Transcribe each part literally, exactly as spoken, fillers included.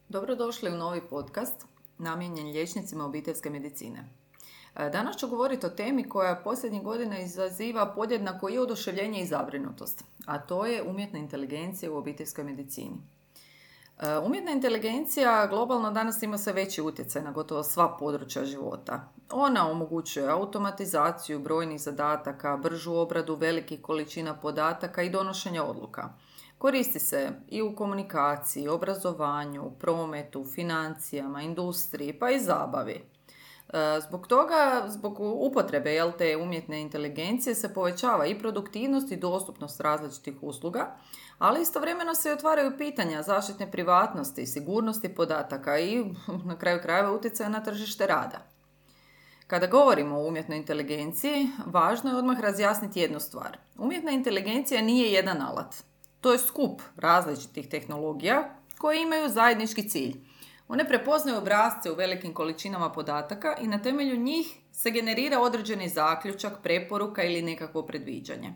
Dobrodošli u novi podcast namijenjen liječnicima obiteljske medicine. Danas ću govoriti o temi koja posljednjih godina izaziva podjednako i oduševljenje i zabrinutost, a to je umjetna inteligencija u obiteljskoj medicini. Umjetna inteligencija globalno danas ima sve veći utjecaj na gotovo sva područja života. Ona omogućuje automatizaciju brojnih zadataka, bržu obradu velikih količina podataka i donošenja odluka. Koristi se i u komunikaciji, obrazovanju, prometu, financijama, industriji pa i zabavi. Zbog toga, zbog upotrebe jel, te umjetne inteligencije se povećava i produktivnost i dostupnost različitih usluga, ali istovremeno se otvaraju pitanja zaštitne privatnosti, sigurnosti podataka i na kraju krajeva utjecaja na tržište rada. Kada govorimo o umjetnoj inteligenciji, važno je odmah razjasniti jednu stvar. Umjetna inteligencija nije jedan alat. To je skup različitih tehnologija koje imaju zajednički cilj. One prepoznaju obrasce u velikim količinama podataka i na temelju njih se generira određeni zaključak, preporuka ili nekakvo predviđanje.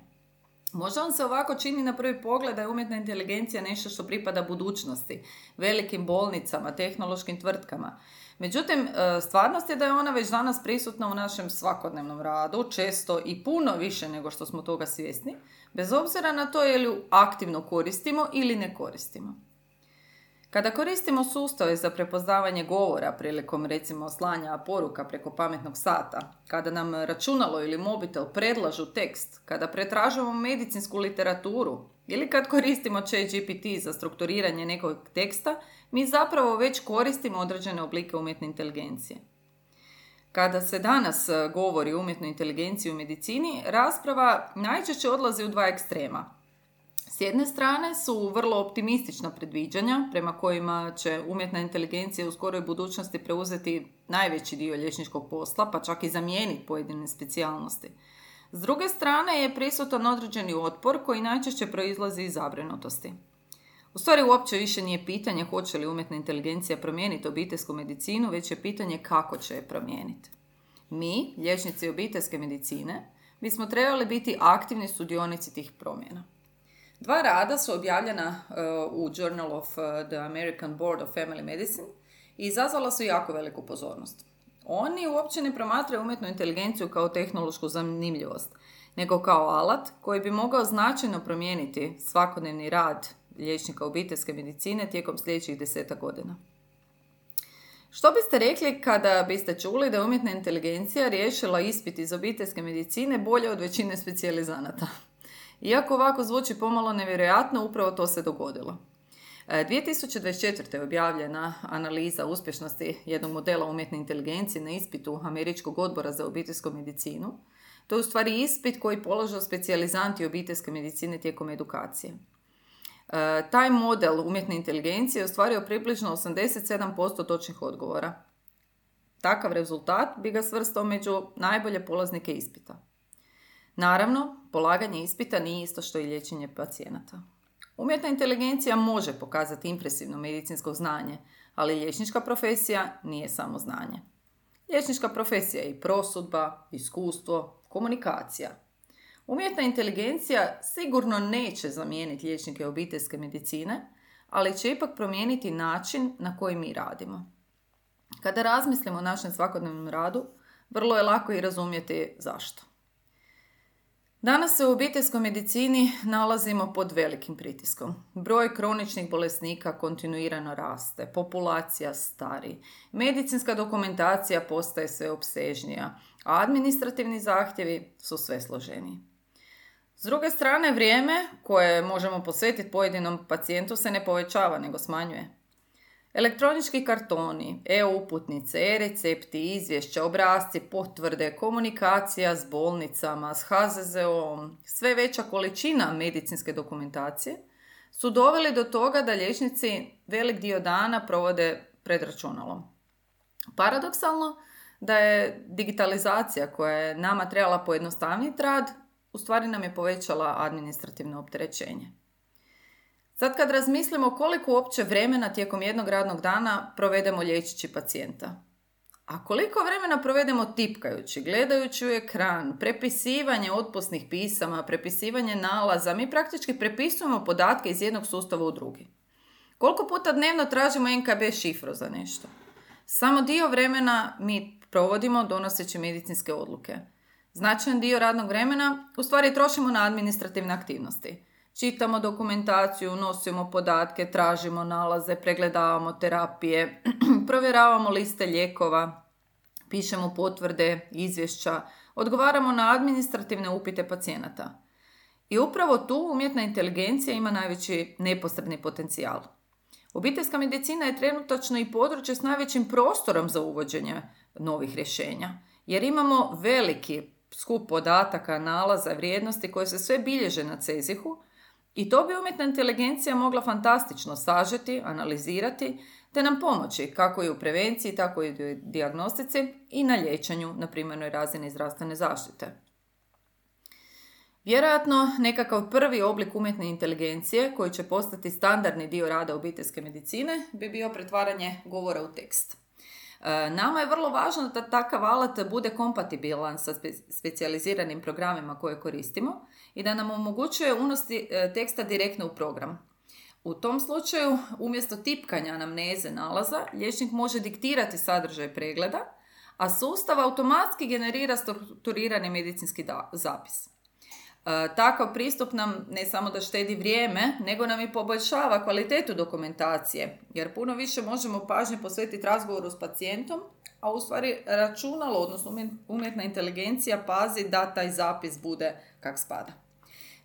Možda vam se ovako čini na prvi pogled da je umjetna inteligencija nešto što pripada budućnosti, velikim bolnicama, tehnološkim tvrtkama. Međutim, stvarnost je da je ona već danas prisutna u našem svakodnevnom radu, često i puno više nego što smo toga svjesni, bez obzira na to je li ju aktivno koristimo ili ne koristimo. Kada koristimo sustave za prepoznavanje govora prilikom recimo slanja poruka preko pametnog sata, kada nam računalo ili mobitel predlažu tekst, kada pretražujemo medicinsku literaturu ili kad koristimo ChatGPT za strukturiranje nekog teksta, mi zapravo već koristimo određene oblike umjetne inteligencije. Kada se danas govori o umjetnoj inteligenciji u medicini, rasprava najčešće odlazi u dva ekstrema. S jedne strane su vrlo optimistična predviđanja prema kojima će umjetna inteligencija u skoroj budućnosti preuzeti najveći dio liječničkog posla, pa čak i zamijeniti pojedine specijalnosti. S druge strane je prisutan određeni otpor koji najčešće proizlazi iz zabrinutosti. U stvari uopće više nije pitanje hoće li umjetna inteligencija promijeniti obiteljsku medicinu, već je pitanje kako će je promijeniti. Mi, liječnici obiteljske medicine, bismo trebali biti aktivni sudionici tih promjena. Dva rada su objavljena uh, u Journal of the American Board of Family Medicine i izazvala su jako veliku pozornost. Oni uopće ne promatraju umjetnu inteligenciju kao tehnološku zanimljivost, nego kao alat koji bi mogao značajno promijeniti svakodnevni rad liječnika obiteljske medicine tijekom sljedećih desetak godina. Što biste rekli kada biste čuli da je umjetna inteligencija riješila ispit iz obiteljske medicine bolje od većine specijalizanata? Iako ovako zvuči pomalo nevjerojatno, upravo to se dogodilo. dvije tisuće dvadeset četvrte. je objavljena analiza uspješnosti jednog modela umjetne inteligencije na ispitu Američkog odbora za obiteljsku medicinu. To je u stvari ispit koji položaju specijalizanti obiteljske medicine tijekom edukacije. Taj model umjetne inteligencije je ostvario približno osamdeset sedam posto točnih odgovora. Takav rezultat bi ga svrstao među najbolje polaznike ispita. Naravno, polaganje ispita nije isto što i liječenje pacijenata. Umjetna inteligencija može pokazati impresivno medicinsko znanje, ali liječnička profesija nije samo znanje. Liječnička profesija je i prosudba, iskustvo, komunikacija. Umjetna inteligencija sigurno neće zamijeniti liječnike obiteljske medicine, ali će ipak promijeniti način na koji mi radimo. Kada razmislimo o našem svakodnevnom radu, vrlo je lako i razumjeti zašto. Danas se u obiteljskoj medicini nalazimo pod velikim pritiskom. Broj kroničnih bolesnika kontinuirano raste, populacija stari, medicinska dokumentacija postaje sve opsežnija, a administrativni zahtjevi su sve složeniji. S druge strane, vrijeme koje možemo posvetiti pojedinom pacijentu se ne povećava, nego smanjuje. Elektronički kartoni, e-uputnice, e-recepti, izvješća, obrasci, potvrde, komunikacija s bolnicama, s ha ze ze om, sve veća količina medicinske dokumentacije su doveli do toga da liječnici velik dio dana provode pred računalom. Paradoksalno da je digitalizacija koja je nama trebala pojednostavniti rad, u stvari nam je povećala administrativno opterećenje. Sad kad razmislimo koliko uopće vremena tijekom jednog radnog dana provedemo liječeći pacijenta, a koliko vremena provedemo tipkajući, gledajući u ekran, prepisivanje otpusnih pisama, prepisivanje nalaza, mi praktički prepisujemo podatke iz jednog sustava u drugi. Koliko puta dnevno tražimo en ka be šifru za nešto? Samo dio vremena mi provodimo donoseći medicinske odluke. Značajan dio radnog vremena u stvari trošimo na administrativne aktivnosti. Čitamo dokumentaciju, nosimo podatke, tražimo nalaze, pregledavamo terapije, provjeravamo liste lijekova, pišemo potvrde, izvješća, odgovaramo na administrativne upite pacijenata. I upravo tu umjetna inteligencija ima najveći neposredni potencijal. Obiteljska medicina je trenutačno i područje s najvećim prostorom za uvođenje novih rješenja, jer imamo veliki skup podataka, nalaza, vrijednosti koje se sve bilježe na cezihu i to bi umjetna inteligencija mogla fantastično sažeti, analizirati te nam pomoći kako i u prevenciji, tako i u dijagnostici i na liječenju na primarnoj razini zdravstvene zaštite. Vjerojatno nekakav prvi oblik umjetne inteligencije koji će postati standardni dio rada obiteljske medicine bi bio pretvaranje govora u tekst. Nama je vrlo važno da takav alat bude kompatibilan sa specijaliziranim programima koje koristimo i da nam omogućuje unos teksta direktno u program. U tom slučaju, umjesto tipkanja anamneze nalaza, liječnik može diktirati sadržaj pregleda, a sustav automatski generira strukturirani medicinski zapis. E, takav pristup nam ne samo da štedi vrijeme, nego nam i poboljšava kvalitetu dokumentacije, jer puno više možemo pažnje posvetiti razgovoru s pacijentom, a u stvari računalo, odnosno umjetna inteligencija pazi da taj zapis bude kak spada.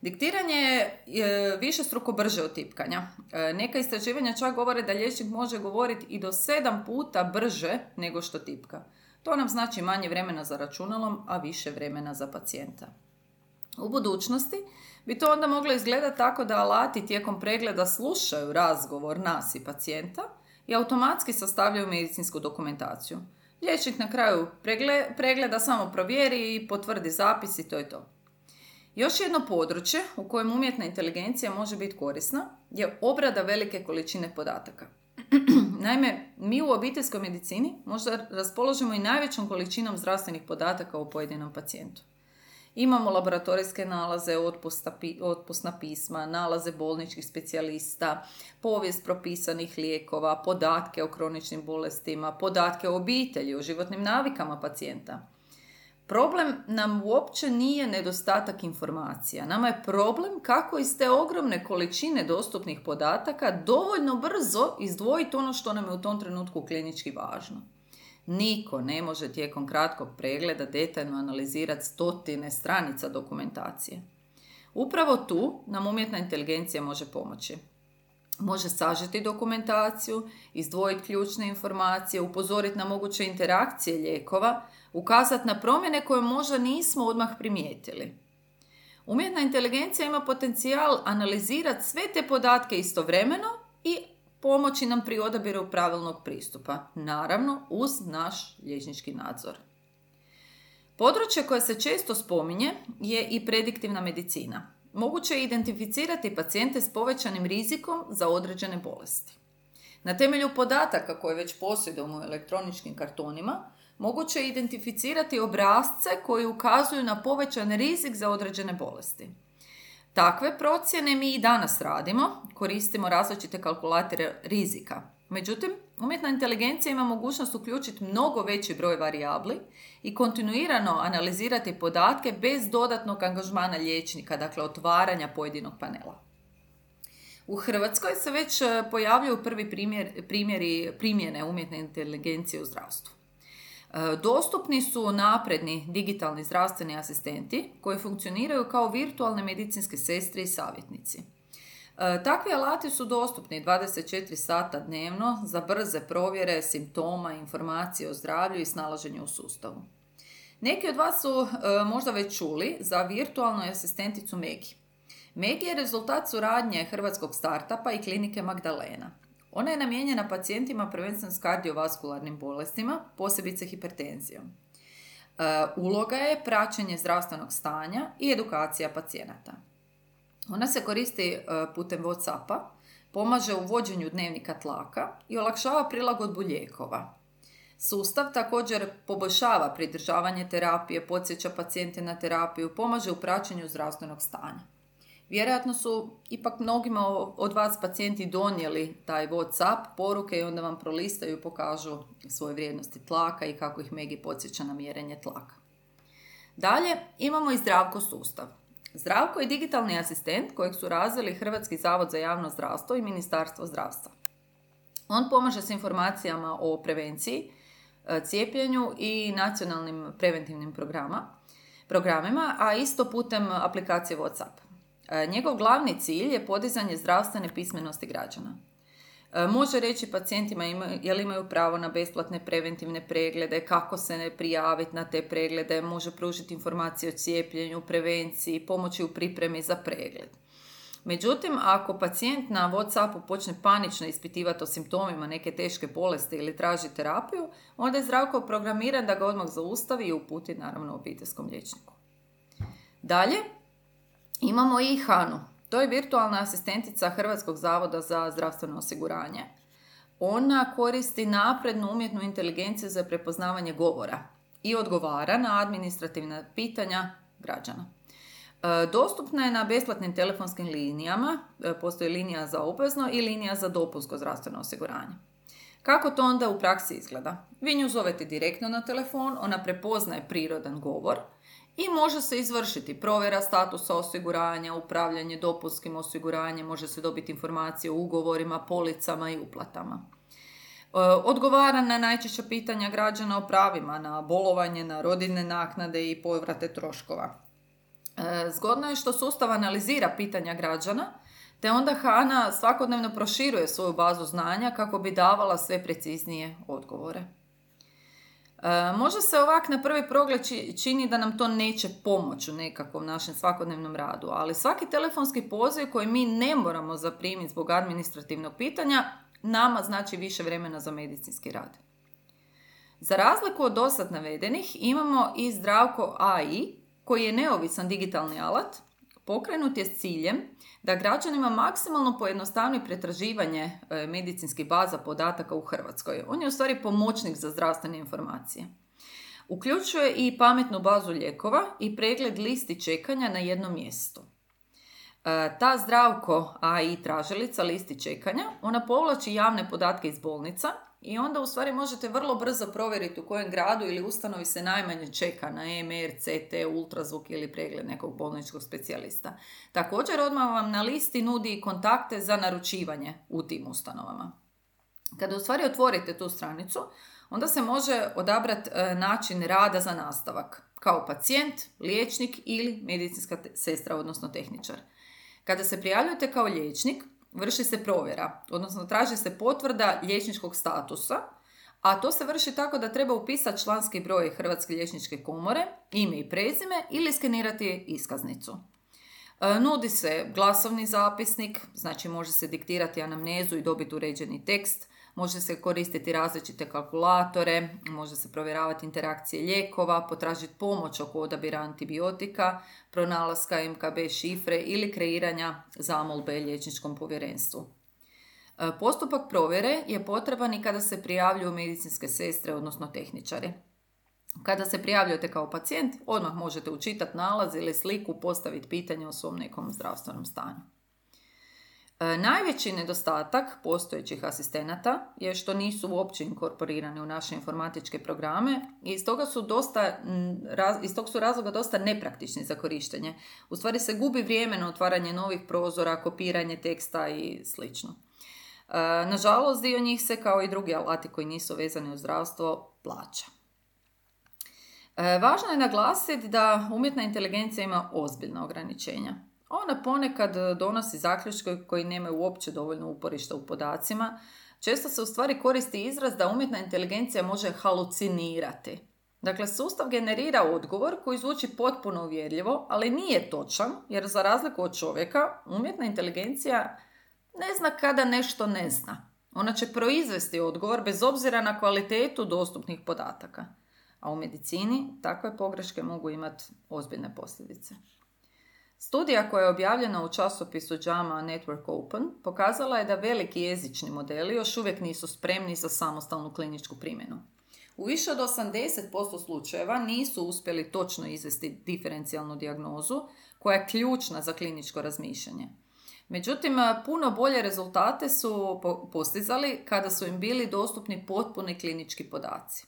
Diktiranje je višestruko brže od tipkanja. E, neka istraživanja čak govore da liječnik može govoriti i do sedam puta brže nego što tipka. To nam znači manje vremena za računalom, a više vremena za pacijenta. U budućnosti bi to onda moglo izgledati tako da alati tijekom pregleda slušaju razgovor nas i pacijenta i automatski sastavljaju medicinsku dokumentaciju. Liječnik na kraju pregleda samo provjeri i potvrdi zapis i to je to. Još jedno područje u kojem umjetna inteligencija može biti korisna je obrada velike količine podataka. Naime, mi u obiteljskoj medicini možda raspoložimo i najvećom količinom zdravstvenih podataka o pojedinom pacijentu. Imamo laboratorijske nalaze, otpusna pisma, nalaze bolničkih specijalista, povijest propisanih lijekova, podatke o kroničnim bolestima, podatke o obitelji, o životnim navikama pacijenta. Problem nam uopće nije nedostatak informacija. Nama je problem kako iz te ogromne količine dostupnih podataka dovoljno brzo izdvojiti ono što nam je u tom trenutku klinički važno. Niko ne može tijekom kratkog pregleda detaljno analizirati stotine stranica dokumentacije. Upravo tu nam umjetna inteligencija može pomoći. Može sažeti dokumentaciju, izdvojiti ključne informacije, upozoriti na moguće interakcije lijekova, ukazati na promjene koje možda nismo odmah primijetili. Umjetna inteligencija ima potencijal analizirati sve te podatke istovremeno i pomoći nam pri odabiru pravilnog pristupa, naravno uz naš liječnički nadzor. Područje koje se često spominje je i prediktivna medicina. Moguće je identificirati pacijente s povećanim rizikom za određene bolesti. Na temelju podataka koje već posjedujemo u elektroničkim kartonima, moguće je identificirati obrasce koji ukazuju na povećan rizik za određene bolesti. Takve procjene mi i danas radimo, koristimo različite kalkulatore rizika. Međutim, umjetna inteligencija ima mogućnost uključiti mnogo veći broj varijabli i kontinuirano analizirati podatke bez dodatnog angažmana liječnika, dakle otvaranja pojedinog panela. U Hrvatskoj se već pojavljuju prvi primjer, primjeri primjene umjetne inteligencije u zdravstvu. Dostupni su napredni digitalni zdravstveni asistenti koji funkcioniraju kao virtualne medicinske sestre i savjetnici. Takvi alati su dostupni dvadeset četiri sata dnevno za brze provjere simptoma, informacije o zdravlju i snalaženju u sustavu. Neki od vas su možda već čuli za virtualnu asistenticu Megi. Megi je rezultat suradnje hrvatskog startupa i klinike Magdalena. Ona je namijenjena pacijentima prvenstveno s kardiovaskularnim bolestima, posebice hipertenzijom. E, uloga je praćenje zdravstvenog stanja i edukacija pacijenata. Ona se koristi e, putem WhatsAppa, pomaže u vođenju dnevnika tlaka i olakšava prilagodbu lijekova. Sustav također poboljšava pridržavanje terapije, podsjeća pacijente na terapiju, pomaže u praćenju zdravstvenog stanja. Vjerojatno su ipak mnogima od vas pacijenti donijeli taj WhatsApp poruke i onda vam prolistaju i pokažu svoje vrijednosti tlaka i kako ih Megi podsjeća na mjerenje tlaka. Dalje imamo i Zdravko sustav. Zdravko je digitalni asistent kojeg su razvili Hrvatski zavod za javno zdravstvo i Ministarstvo zdravstva. On pomaže s informacijama o prevenciji, cijepljenju i nacionalnim preventivnim programa, programima, a isto putem aplikacije WhatsApp. Njegov glavni cilj je podizanje zdravstvene pismenosti građana. Može reći pacijentima ima, jel imaju pravo na besplatne preventivne preglede, kako se ne prijaviti na te preglede, može pružiti informacije o cijepljenju, prevenciji, pomoći u pripremi za pregled. Međutim, ako pacijent na WhatsAppu počne panično ispitivati o simptomima neke teške bolesti ili traži terapiju, onda je Zdravko programiran da ga odmah zaustavi i uputi naravno obiteljskom liječniku. Dalje imamo i Hanu. To je virtualna asistentica Hrvatskog zavoda za zdravstveno osiguranje. Ona koristi naprednu umjetnu inteligenciju za prepoznavanje govora i odgovara na administrativna pitanja građana. Dostupna je na besplatnim telefonskim linijama, postoji linija za obvezno i linija za dopunsko zdravstveno osiguranje. Kako to onda u praksi izgleda? Vi nju zovete direktno na telefon, ona prepoznaje prirodan govor i može se izvršiti provjera statusa osiguranja, upravljanje dopunskim osiguranjem, može se dobiti informacije o ugovorima, policama i uplatama. Odgovara na najčešća pitanja građana o pravima, na bolovanje, na rodiljne naknade i povrate troškova. Zgodno je što sustav analizira pitanja građana, te onda Hana svakodnevno proširuje svoju bazu znanja kako bi davala sve preciznije odgovore. E, možda se ovak na prvi pogled čini da nam to neće pomoći u nekakvom našem svakodnevnom radu, ali svaki telefonski poziv koji mi ne moramo zaprimiti zbog administrativnog pitanja nama znači više vremena za medicinski rad. Za razliku od dosad navedenih imamo i Zdravko A I, koji je neovisan digitalni alat, pokrenut je s ciljem da građanima maksimalno pojednostavi pretraživanje medicinskih baza podataka u Hrvatskoj. On je u stvari pomoćnik za zdravstvene informacije. Uključuje i pametnu bazu lijekova i pregled listi čekanja na jednom mjestu. Ta Zdravko A I tražilica listi čekanja, ona povlači javne podatke iz bolnica i onda u stvari možete vrlo brzo provjeriti u kojem gradu ili ustanovi se najmanje čeka na E M R, C T, ultrazvuk ili pregled nekog bolničkog specijalista. Također odmah vam na listi nudi i kontakte za naručivanje u tim ustanovama. Kada u stvari otvorite tu stranicu, onda se može odabrati način rada za nastavak, kao pacijent, liječnik ili medicinska sestra, odnosno tehničar. Kada se prijavljujete kao liječnik, vrši se provjera, odnosno traži se potvrda liječničkog statusa, a to se vrši tako da treba upisati članski broj Hrvatske liječničke komore, ime i prezime ili skenirati iskaznicu. E, nudi se glasovni zapisnik, znači može se diktirati anamnezu i dobiti uređeni tekst, može se koristiti različite kalkulatore, može se provjeravati interakcije lijekova, potražiti pomoć oko odabira antibiotika, pronalaska M K B šifre ili kreiranja zamolbe liječničkom povjerenstvu. Postupak provjere je potreban i kada se prijavljuju medicinske sestre, odnosno tehničari. Kada se prijavljujete kao pacijent, odmah možete učitati nalaz ili sliku, postaviti pitanje o svom nekom zdravstvenom stanju. E, najveći nedostatak postojećih asistenata je što nisu uopće inkorporirani u naše informatičke programe i iz toga su dosta, iz tog su razloga dosta nepraktični za korištenje. U stvari se gubi vrijeme na otvaranje novih prozora, kopiranje teksta i slično. E, nažalost, dio njih se, kao i drugi alati koji nisu vezani uz zdravstvo, plaća. E, važno je naglasiti da umjetna inteligencija ima ozbiljna ograničenja. Ona ponekad donosi zaključke koji nemaju uopće dovoljno uporišta u podacima. Često se u stvari koristi izraz da umjetna inteligencija može halucinirati. Dakle, sustav generira odgovor koji zvuči potpuno uvjerljivo, ali nije točan, jer za razliku od čovjeka, umjetna inteligencija ne zna kada nešto ne zna. Ona će proizvesti odgovor bez obzira na kvalitetu dostupnih podataka. A u medicini takve pogreške mogu imati ozbiljne posljedice. Studija koja je objavljena u časopisu JAMA Network Open pokazala je da veliki jezični modeli još uvijek nisu spremni za samostalnu kliničku primjenu. U više od osamdeset posto slučajeva nisu uspjeli točno izvesti diferencijalnu dijagnozu koja je ključna za kliničko razmišljanje. Međutim, puno bolje rezultate su postizali kada su im bili dostupni potpuni klinički podaci.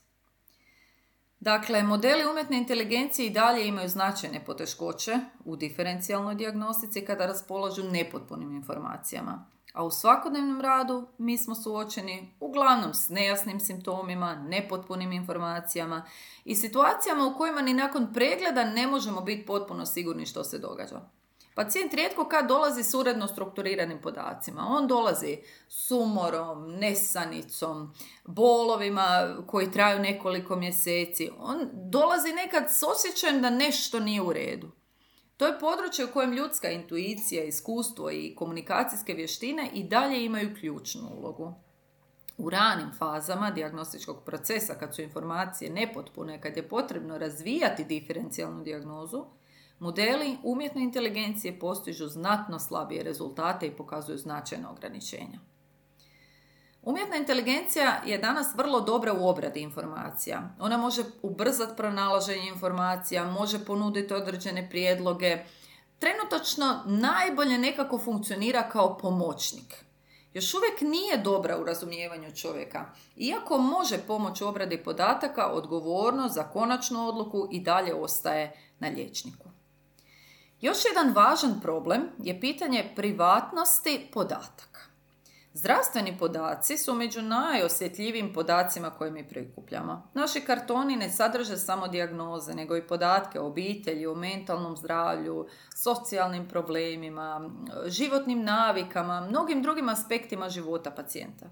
Dakle, modeli umjetne inteligencije i dalje imaju značajne poteškoće u diferencijalnoj dijagnostici kada raspolažu nepotpunim informacijama. A u svakodnevnom radu mi smo suočeni uglavnom s nejasnim simptomima, nepotpunim informacijama i situacijama u kojima ni nakon pregleda ne možemo biti potpuno sigurni što se događa. Pacijent rijetko kad dolazi s uredno strukturiranim podacima. On dolazi s umorom, nesanicom, bolovima koji traju nekoliko mjeseci. On dolazi nekad s osjećajem da nešto nije u redu. To je područje u kojem ljudska intuicija, iskustvo i komunikacijske vještine i dalje imaju ključnu ulogu. U ranim fazama dijagnostičkog procesa, kad su informacije nepotpune, kad je potrebno razvijati diferencijalnu dijagnozu, modeli umjetne inteligencije postižu znatno slabije rezultate i pokazuju značajna ograničenja. Umjetna inteligencija je danas vrlo dobra u obradi informacija. Ona može ubrzati pronalaženje informacija, može ponuditi određene prijedloge. Trenutačno najbolje nekako funkcionira kao pomoćnik. Još uvijek nije dobra u razumijevanju čovjeka. Iako može pomoći u obradi podataka, odgovornost za konačnu odluku i dalje ostaje na liječniku. Još jedan važan problem je pitanje privatnosti podataka. Zdravstveni podaci su među najosjetljivijim podacima koje mi prikupljamo. Naši kartoni ne sadrže samo dijagnoze, nego i podatke o obitelji, o mentalnom zdravlju, socijalnim problemima, životnim navikama, mnogim drugim aspektima života pacijenta.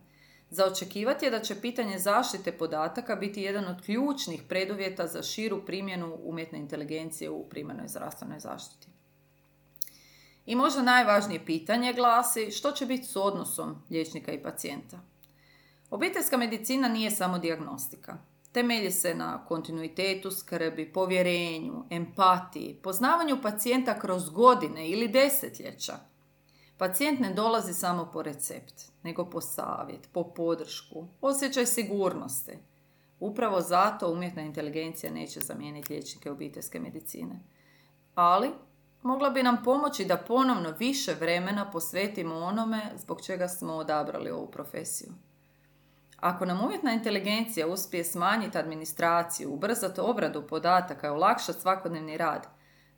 Za očekivati je da će pitanje zaštite podataka biti jedan od ključnih preduvjeta za širu primjenu umjetne inteligencije u primarnoj zdravstvenoj zaštiti. I možda najvažnije pitanje glasi što će biti s odnosom liječnika i pacijenta. Obiteljska medicina nije samo dijagnostika. Temelji se na kontinuitetu skrbi, povjerenju, empatiji, poznavanju pacijenta kroz godine ili desetljeća. Pacijent ne dolazi samo po recept, nego po savjet, po podršku, osjećaj sigurnosti. Upravo zato umjetna inteligencija neće zamijeniti liječnike obiteljske medicine. Ali mogla bi nam pomoći da ponovno više vremena posvetimo onome zbog čega smo odabrali ovu profesiju. Ako nam umjetna inteligencija uspije smanjiti administraciju, ubrzati obradu podataka i olakšati svakodnevni rad,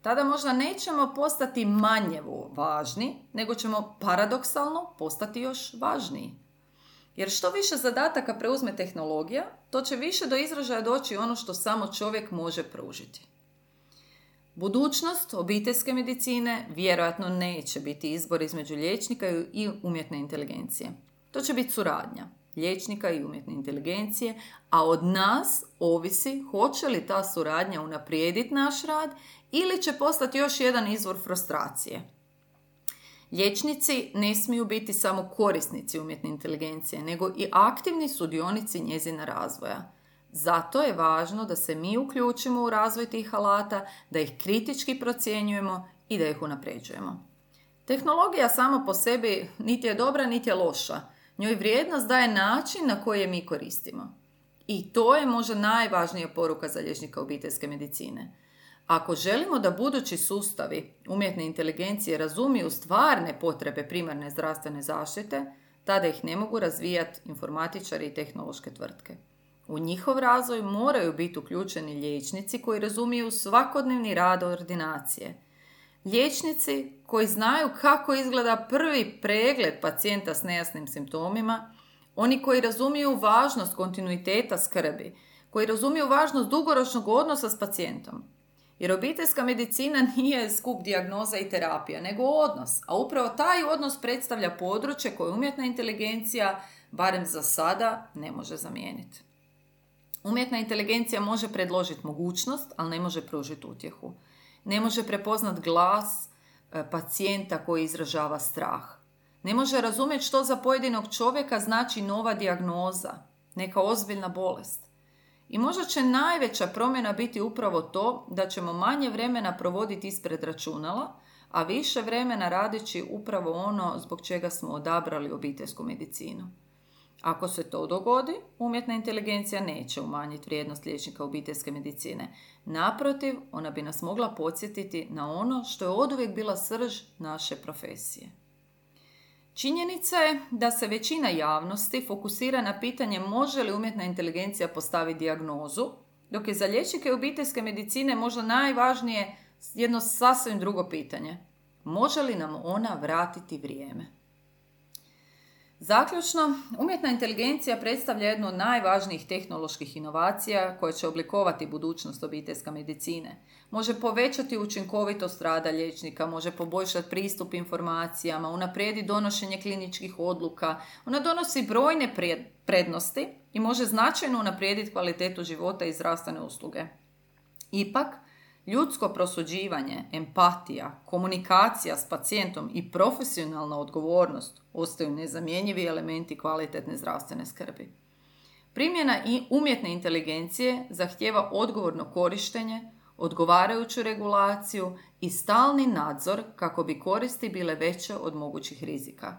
tada možda nećemo postati manje važni, nego ćemo paradoksalno postati još važniji. Jer što više zadataka preuzme tehnologija, to će više do izražaja doći ono što samo čovjek može pružiti. Budućnost obiteljske medicine vjerojatno neće biti izbor između liječnika i umjetne inteligencije. To će biti suradnja liječnika i umjetne inteligencije, a od nas ovisi hoće li ta suradnja unaprijediti naš rad ili će postati još jedan izvor frustracije. Liječnici ne smiju biti samo korisnici umjetne inteligencije, nego i aktivni sudionici njezina razvoja. Zato je važno da se mi uključimo u razvoj tih alata, da ih kritički procjenjujemo i da ih unapređujemo. Tehnologija sama po sebi niti je dobra, niti je loša. Njoj vrijednost daje način na koji je mi koristimo. I to je možda najvažnija poruka za liječnika obiteljske medicine. Ako želimo da budući sustavi umjetne inteligencije razumiju stvarne potrebe primarne zdravstvene zaštite, tada ih ne mogu razvijati informatičari i tehnološke tvrtke. U njihov razvoj moraju biti uključeni liječnici koji razumiju svakodnevni rad ordinacije. Liječnici koji znaju kako izgleda prvi pregled pacijenta s nejasnim simptomima, oni koji razumiju važnost kontinuiteta skrbi, koji razumiju važnost dugoročnog odnosa s pacijentom. Jer obiteljska medicina nije skup dijagnoza i terapija, nego odnos, a upravo taj odnos predstavlja područje koje umjetna inteligencija, barem za sada, ne može zamijeniti. Umjetna inteligencija može predložiti mogućnost, ali ne može pružiti utjehu. Ne može prepoznat glas pacijenta koji izražava strah. Ne može razumjeti što za pojedinog čovjeka znači nova dijagnoza, neka ozbiljna bolest. I možda će najveća promjena biti upravo to da ćemo manje vremena provoditi ispred računala, a više vremena radeći upravo ono zbog čega smo odabrali obiteljsku medicinu. Ako se to dogodi, umjetna inteligencija neće umanjiti vrijednost liječnika obiteljske medicine. Naprotiv, ona bi nas mogla podsjetiti na ono što je oduvijek bila srž naše profesije. Činjenica je da se većina javnosti fokusira na pitanje može li umjetna inteligencija postaviti dijagnozu, dok je za liječnike obiteljske medicine možda najvažnije jedno sasvim drugo pitanje. Može li nam ona vratiti vrijeme? Zaključno, umjetna inteligencija predstavlja jednu od najvažnijih tehnoloških inovacija koje će oblikovati budućnost obiteljske medicine. Može povećati učinkovitost rada liječnika, može poboljšati pristup informacijama, unaprijediti donošenje kliničkih odluka. Ona donosi brojne prednosti i može značajno unaprijediti kvalitetu života i zdravstvene usluge. Ipak, ljudsko prosuđivanje, empatija, komunikacija s pacijentom i profesionalna odgovornost ostaju nezamjenjivi elementi kvalitetne zdravstvene skrbi. Primjena i umjetne inteligencije zahtijeva odgovorno korištenje, odgovarajuću regulaciju i stalni nadzor kako bi koristi bile veće od mogućih rizika.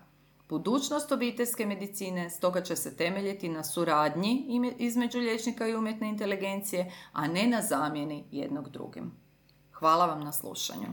Budućnost obiteljske medicine stoga će se temeljiti na suradnji između liječnika i umjetne inteligencije, a ne na zamjeni jednog drugim. Hvala vam na slušanju.